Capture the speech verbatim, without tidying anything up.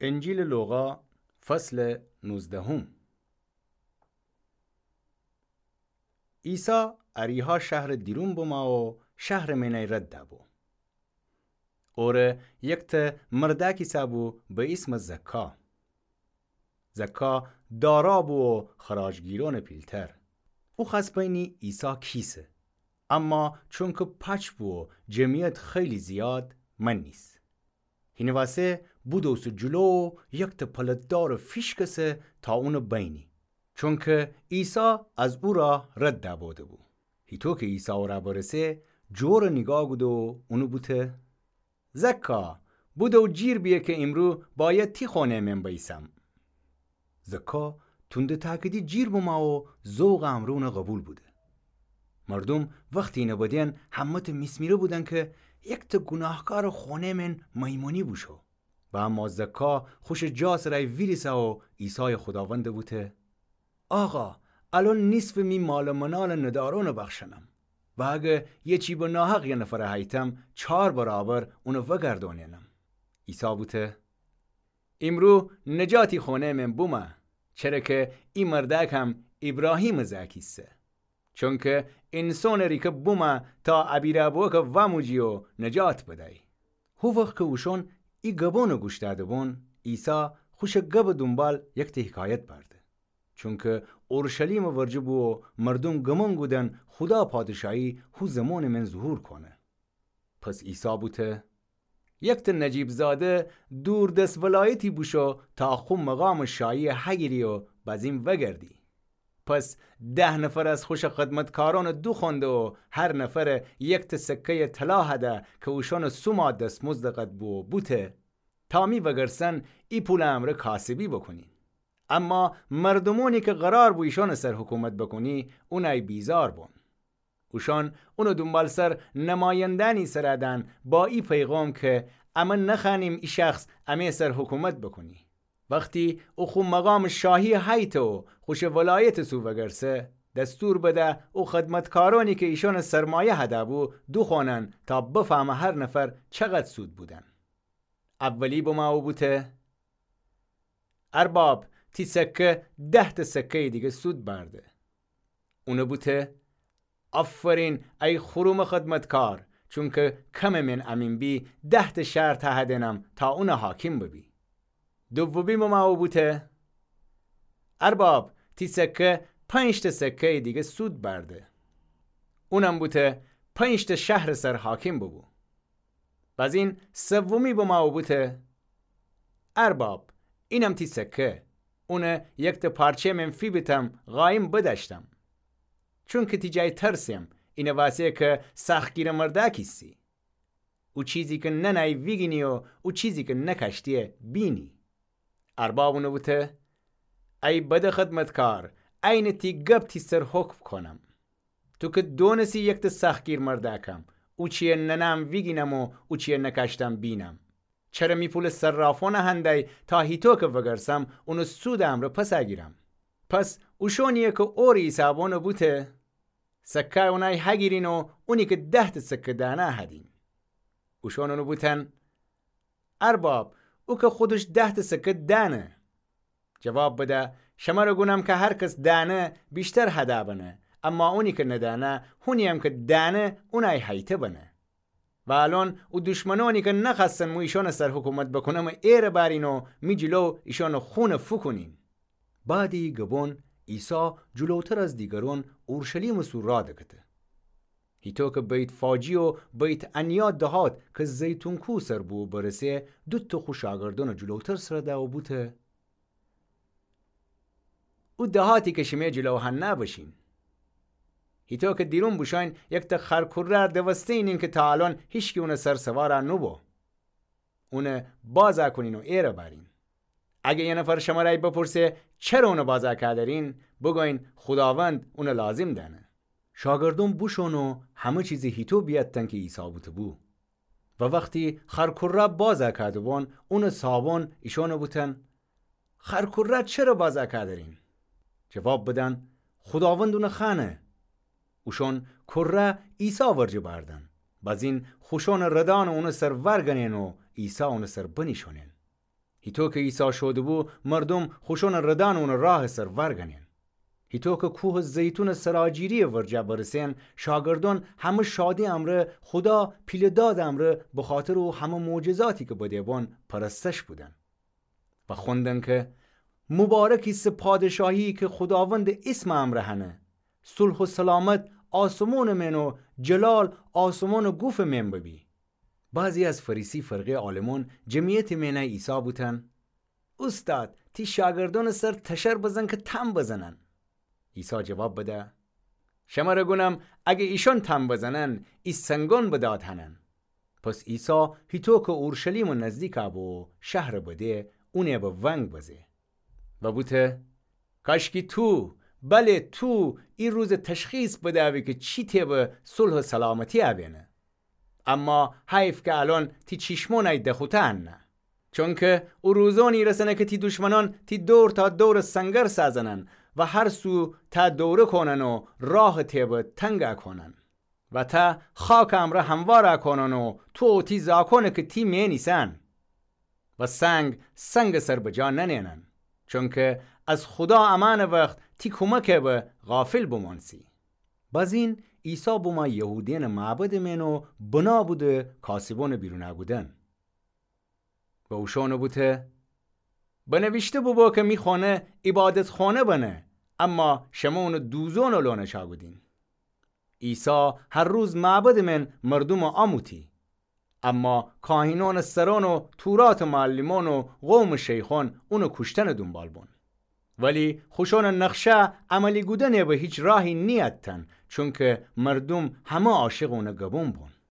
انجیلٚ لوقا، فصلٚ نوزدهم. عیسی اریحا شهرٚ دیرون بمو و شهرٚ مئنی رد دبو. اوره یکته مردأکی سأبو به ایسمٚ زکا. زکا دارا بو و خراجگیرونٚ پیلتر. او خوأس بینی عیسی کیسه، اما چونکه پاچ بو و جمعیت خیلی زیاد، من نیس. هینٚ وأسه بودوسه جلو و یکته پلت‌دارٚ فیشکسه تا اونه بینی، چونکه عیسی از او راه رد دبوده‌بو. هیطو که عیسی اوره برسه، جوره نیگاه کوده و اونه بوته: زکا، بودو جیر بیه که ایمرو باید تی خونه مئن بیسم. زکا تونده تأکیدی جیر بمو و ذوقٚ امرأ اونه قوبیل بوده. مردوم وختی اینه بدین همه‌ته میسمیره بودن که یکته گوناهکارٚ خونه مئن میمونی بوشو. و اما زکا خوشٚ جا سر ویریسه و عیسایٚ خوداوندَ بوته: آقا، الأن نیصفٚ می مال و منالٚ ندارأنَ بخشنم. و اگه یه چی به ناحق یه نفرَ هیتم، چار برابر اونَ وگردونینم. عیسی بوته: ایمرو نجاتی خونه مئن بومه، چره که ای مردأکم ایبراهیمٚ زأکیسه. چونکه اینسانٚ ریکه بومه تا ابیرأ بوکه واموجی و نجات بدی. هو وخت که اوشأن ای گبونَ گوش دأده‌بون، عیسی خوشٚ گبٚ دونبال یکته حکایت بأرده. چونکه اورشلیمٚ ورجه بو و مردوم گمون کودن خودا پادشاهی هو زمانٚ مئن ظهور کونه. پس عیسی بوته: یکته نجیب‌زاده دوردست ولایتی بوشو تا خو مقامٚ شاهی هگیری و بزین وگردی. پس ده نفر از خوشٚ خدمتکارأنَ دوخوأنده و هر نفر یکته سکه‌یٚ طلا هده که اوشأنٚ سوما دستمزدٚ قد بو و بوته: تا می وگرسن ای پولٚ امرأ کاسبی بوکونین. اما مردومأنی که قرار بو ایشأنٚ سر حکومت بوکونی، اونأی بیزار بون. اوشأن اونٚ دونبالسر نمایندأنی سر دأن با ای پیغام که امه نخوأنیم ای شخص امه سر حکومت بوکونی. وختی او خو مقامٚ شاهی هیته و خوشٚ ولایتٚ سو وگرسه، دستور بده او خدمتکارأنی که ایشأنٚ سرمایه هده بو دوخوأنن تا بفهمه هر نفر چقد سود بودن. اولی بمو و بوته: ارباب، تی سکه ده‌ته سکه‌یٚ دیگه سود بأرده. اونَ بوته: آفرین ای خرومٚ خدمتکار، چونکه کمٚ مئن امین بی، ده‌ته شهر تهدینم تا اونَ حاکم ببی. دومی بمو و بوته: ارباب، تی سکه پنج‌ته سکه‌یٚ دیگه سود بأرده. اونم بوته: پنج‌ته شهرٚ سر حاکم ببو. بزین سومی بمو و بوته: ارباب، اینم تی سکه، اونَ یکته پارچه مئن فیبیتم، قایم بدأشتم. چونکه تی جای ترسم، اینٚ وأسه که سختگیرٚ مردأکی ایسی. او چیزی که ننه‌یی ویگینی و او چیزی که نکاشته‌یی بینی. ارباب اونَ بوته: ای بدٚ خدمتکار، عینٚ تی گب تی سر حکم کونم. تو که دونستی یکته سختگیر مردأکم، اوچی‌یَ ننه‌م ویگینم و اوچی‌یَ نکاشتم بینم. چره می پولٚ صرافأنَ هندی تا هیطو که وگرسم اونٚ سودٚ امرأ پس گیرم؟ پس اوشأنی‌یَ که اورٚ حیسابأنَ بوته، سکه‌یَ اونأی هگیرین و اونی که ده‌ته سکه دأنه هدین. اوشأن اونَ بوتن: ارباب، او که خودش ده‌ته سکه دأنه. جواب بده: شمرَ گونم که هر کس دأنه ویشتر هده بنه، اما اونی که ندأنه، هونی‌یم که دأنه اونأی هیته بنه. و الأن او دشمنأنی که نخوأستن مو ایشأنٚ سر حکومت بوکونم ایره بأرین و می جلو ایشأنٚ خونَ فوکونین. بعدٚ ای گبون عیسی جلوتر از دیگرأن اورشلیمٚ سو راه دکته. هیطو که بیت‌فاجی و بیت‌عنیا دهات که زیتون کوه سر بو برسه، دوتأ خو شاگردأنَ جلوتر سر ده و بوته: او دهاتی که شیمه جلو هنه بشین. هیطو که دیرون بوشوین یکته خرکوره دوسته‌یینین که تا الأن هیچکی اونٚ سر سوار نوبو. اونَ باز کونین و ایره بأرین. اگه یه نفر شمرأی بپرسه چره اونَ باز کودرین، بوگوین خوداوند اونَ لازم دأنه. شاگردأن بوشون و همه چیزَ هیطو بیأتتن که عیسی بوته‌بو. و وختی خرکوره باز کوده‌بون، اونٚ صاحبأن ایشأنَ بوتن: خرکوره چره باز کودرین؟ جواب بدن: خوداوند اونَ خوأنه. اوشأن کوره عیسی ورجه بأردن. بزین خوشأنٚ ردأنَ اونٚ سر ورگنین و عیسی اونٚ سر بنیشونین. هیطو کی عیسی شوده‌بو، مردوم خوشونٚ ردأن اونٚ راهٚ سر وأرگأنین. هیطو کی کوهٚ زیتونٚ سراجیری‌یٚ ورجه برسین، شاگردأن همه شادی امرأ، خودا پیله‌دادٚ امرأ، بخاطرٚ او همه معجزاتی کی بده بون، پرستش کودن و خوندن کی، مبارک ایسه پادشاهی‌یی کی خوداوندٚ ایسمٚ امرأ هنه. صلح و سلامت آسمونٚ مئن و جلال آسمونٚ گوفٚ مئن ببی. بعضی از فریسی فرقه‌یٚ عالمأن جمعیتٚ مئن عیسی بوتن: اوستاد، تی شاگردأنٚ سر تشر بزن کی تمب بزنن. عیسی جواب بده: شمر گونم، اگر ایشأن تمب بزنن، ای سنگأن به داد هنن. پس عیسی هیطو کی اورشلیمٚ نزدیک بو و شهرٚ بده، اونٚ به ونگ بزه و بوته: کاشکی تو، بله تو، ای روزٚ تشخیص بدأبی کی چی تئبه صلح و سلامتی ابینه. اما حیف کی الأن تی چیشمأن ای دخوطه انه. چونکی او روزأنی رسنه کی تی دشمنأن تی دور تا دورٚ سنگر سازنن و هر سو ته دوره کونن و راهٚ تئبه تنگ کونن و ته خاکٚ امرأ هموار کونن و تو و تی زاکأن کی تی مئن ایسن و سنگ سنگٚ سر بجا ننئنن. چونکی از خودا امأنٚ وخت تی کومک به غافل بمأنسی. بزین عیسی بومه یهودیأنٚ معبدٚ مئن و بنا بوده کاسبأنٚ بیرون کودن. و اوشأن بوته: بنویشته بوبو کی می خونه عبادتخونه بنه، اما شمه اونٚ دوزونٚ لونٚ چأکودین. عیسی هر روز معبدٚ مئن مردومٚ آموتی. اما کاهینأنٚ سرأن و توراتٚ معلمأن و قومٚ شیخأن اونٚ کوشتنٚ دونبال بون. ولی خوشأنٚ نقشه عملی کودنٚ به هیچ راهی نیأتتن، چونکی مردوم همه عاشقٚ اونٚ گبون بون.